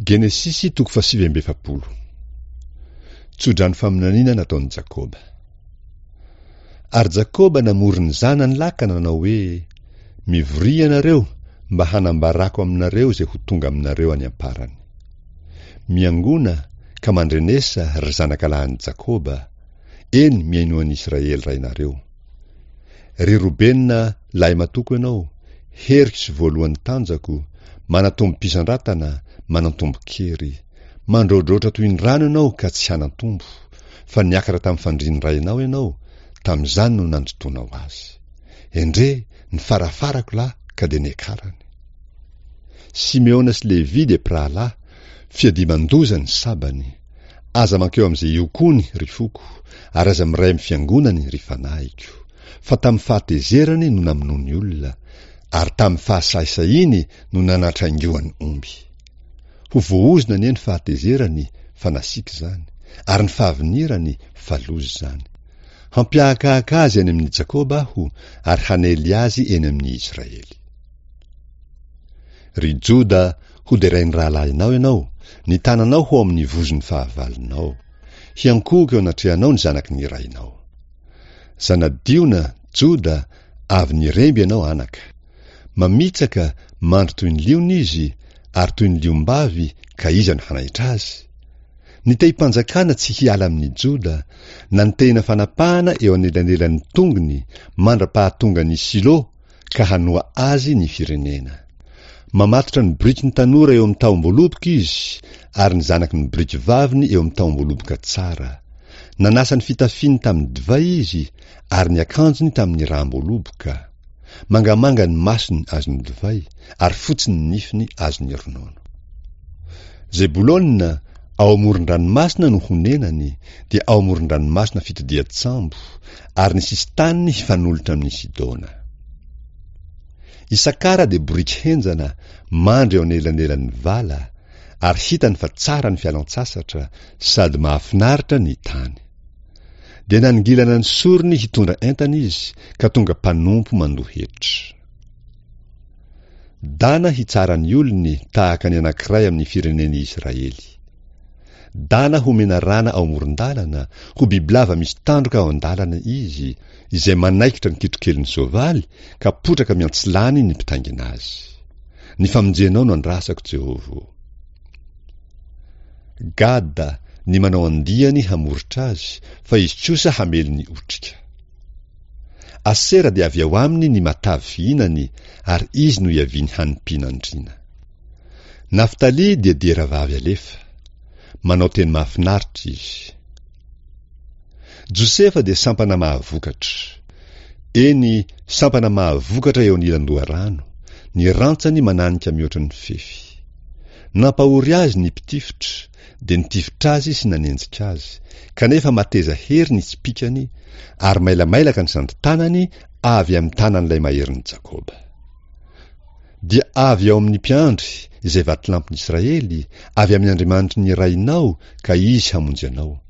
Genesisy toko fahasivy amby efapolo. Tsodrano faminaniana nataon'i Jakoba. Ary Jakoba namory ny zanany lahy ka nanao hoe, Mivoria ianareo mba hanambarako aminareo izay ho tonga aminareo any am-parany. Miangona ka mandrenesa, ry zanakalahin'i Jakoba, eny mihainoa an'i Israely rainareo. Ry Robena lahimatoako ianao, heriko sy voalohan'ny tanjako, manatombom-pisandratana, manantombon-kery. Mandroadroatra toy ny rano ianao ka tsy hanan-tombo, fa niakatra tamin'ny fandrian'ny rainao ianao, tamin'izany no nandotoanao azy. Endrey, ny farafarako lahy ka dia niakarany. Simeona sy Levy dia mpirahalahy, fiadiaman-doza ny sabany. Aza mankeo amin'izay iokoany, ry foko, ary aza miray amin'ny fiangonany, ry fanahiko. Fa tamin'ny fahatezerany no namonoany olona, ary tamin'ny fahasahisahiany no nanatraingoany omby. Ho voaozona anie ny fahatezerany, fa nasiaka izany, ary ny fahavinirany, fa loza izany. Hampiahakahaka azy any amin'i Jakoba aho, ary hanely azy eny amin'i Israely. Ry Joda, hoderain'ny rahalahinao ianao, ny tananao ho ao amin'ny vozon'ny fahavalonao. Hiankohoka eo anatrehanao ny zanaky ny rainao. Zana-diona, Joda, avy niremby ianao anaka. Mamitsaka, mandry toy ny liona izy, ary toy ny liom-bavy, ka iza no hanaitra azy? Ny tehim-panjakana tsy hiala amin'i Joda, na ny tehina fanapahana eo anelanelan'ny tongony, mandra-pahatongan'i Silo, ka hanoa azy ny firenena. Mamatotra ny biriky ny tanora eo amin'ny tahom-boaloboka izy, ary ny zanaky ny biriky vaviny eo amin'ny tahom-boaloboka tsara. Nanasa ny fitafiany tamin'ny divay izy, ary ny akanjony tamin'ny ràm-boaloboka. Mangamanga ny masony azon'ny divay, ary fotsy ny nifiny azon'ny ronono. Zebolona, ao amoron-dranomasina no honenany, dia ao amoron-dranomasina fitodian-tsambo, ary ny sisin-taniny hifanolotra amin'i Sidona. Isakara dia boriky henjana, mandry eo anelanelan'ny vala, ary hitany fa tsara ny fialan-tsasatra, sady mahafinaritra ny tany. Dia nanongilana ny sorony hitondra entana izy, ka tonga mpanompo mandoa hetra. Dana hitsara ny olony tahaka ny anankiray amin'ny firenen'i Israely. Dana ho menarana ao amoron-dalana, ho bibilava misy tandroka ao an-dalana izy, izay manaikitra ny kitrokelin'ny soavaly ka potraka miantsilany ny mpitaingina azy. Ny famonjenao no andrasako, Jehovah ô. Gada, ny manao andiany hamoritra azy, fa izy kosa hamely ny otrika. Asera dia avy ao aminy ny matavy fihinany, ary izy no iavian'ny hanim-pihinandriana. Naftaly dia diera vavy alefa. Manao teny mahafinaritra izy. Josefa dia sampana mahavokatra. Eny, sampana mahavokatra eo anilan-doharano, ny rantsany mananika mihoatra ny fefy. Nampahory azy ny mpitifitra, dia nitifitra azy sy nanenjika azy, kanefa mateza hery ny tsipìkany, ary mailamailaka ny sandrin-tanany avy amin'ny tanan'ilay maherin'i Jakoba. Dia avy ao amin'ny mpiandry, izay vatolampin'i Israely, avy amin'ny Andriamanitry ny rainao, ka Izy hamonjy anao,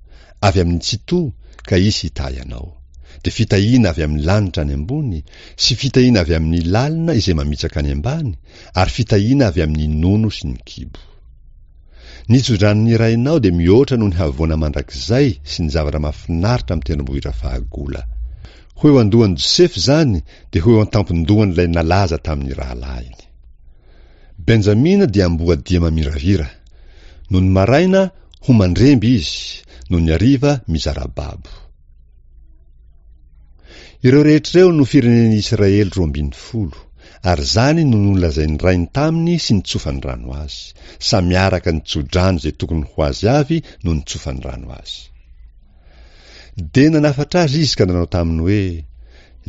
avy amin'ny Tsitoha, ka Izy hitahy anao. Dia fitahiana avy amin'ny lanitra any ambony, sy fitahiana avy amin'ny lalina izay mamitsaka any ambany, ary fitahiana avy amin'ny nono sy ny kibo. Ny tsodranon'ny rainao dia mihoatra noho ny havoana mandrakizay sy ny zavatra mahafinaritra amin'ny tendrombohitra fahagola. Ho eo an-dohan'i Josefa izany, dia ho eo an-tampon-dohan'ilay nalaza tamin'ny rahalahiny. Benjamina dia amboadia mamiravira. Nony maraina, ho mandremby izy, nony hariva, mizara babo. Ireo rehetra ireo no firenen'i Israely 12, ary izany no nolazain'ny rainy taminy sy nitsofany rano azy. Samy araka ny tso-drano izay tokony ho azy avy no nitsofany rano azy. Dia nanafatra azy izy ka nanao taminy hoe,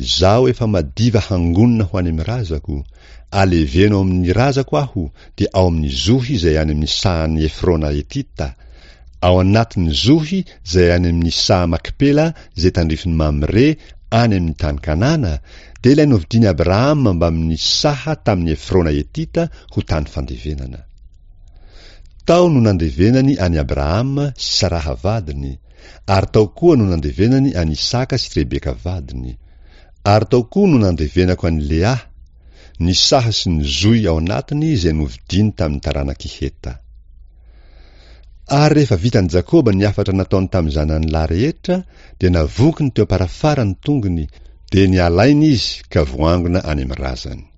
Izaho efa madiva hangonina ho any amin'ny razako, aleveno ao amin'ny razako aho, dia ao amin'ny zohy izay any amin'ny sahan'i Efrona Hetita, ao anatin'ny zohy izay any amin'ny saha Makpela izay tandrifin'i Mamre any amin'ny tany Kanana, dia ilay novidian'i Abrahama mbamin'ny saha tamin'i Efrona Hetita ho tany fandevenana. Tao no nandevenany an'i Abrahama sy Saraha vadiny, ary tao koa no nandevenany an'i Isaka sy Rebeka vadiny, ary tao koa no nandevenako an'i Lea, ny saha sy ny zohy ao anatiny izay novidiany tamin'ny taranak'i Heta. Ary rehefa vitan'i Jakoba ny hafatra nataony tamin'ny zanany lahy rehetra, dia navokiny teo am-parafara ny tongony, dia niala aina izy ka voangona any amin'ny razany.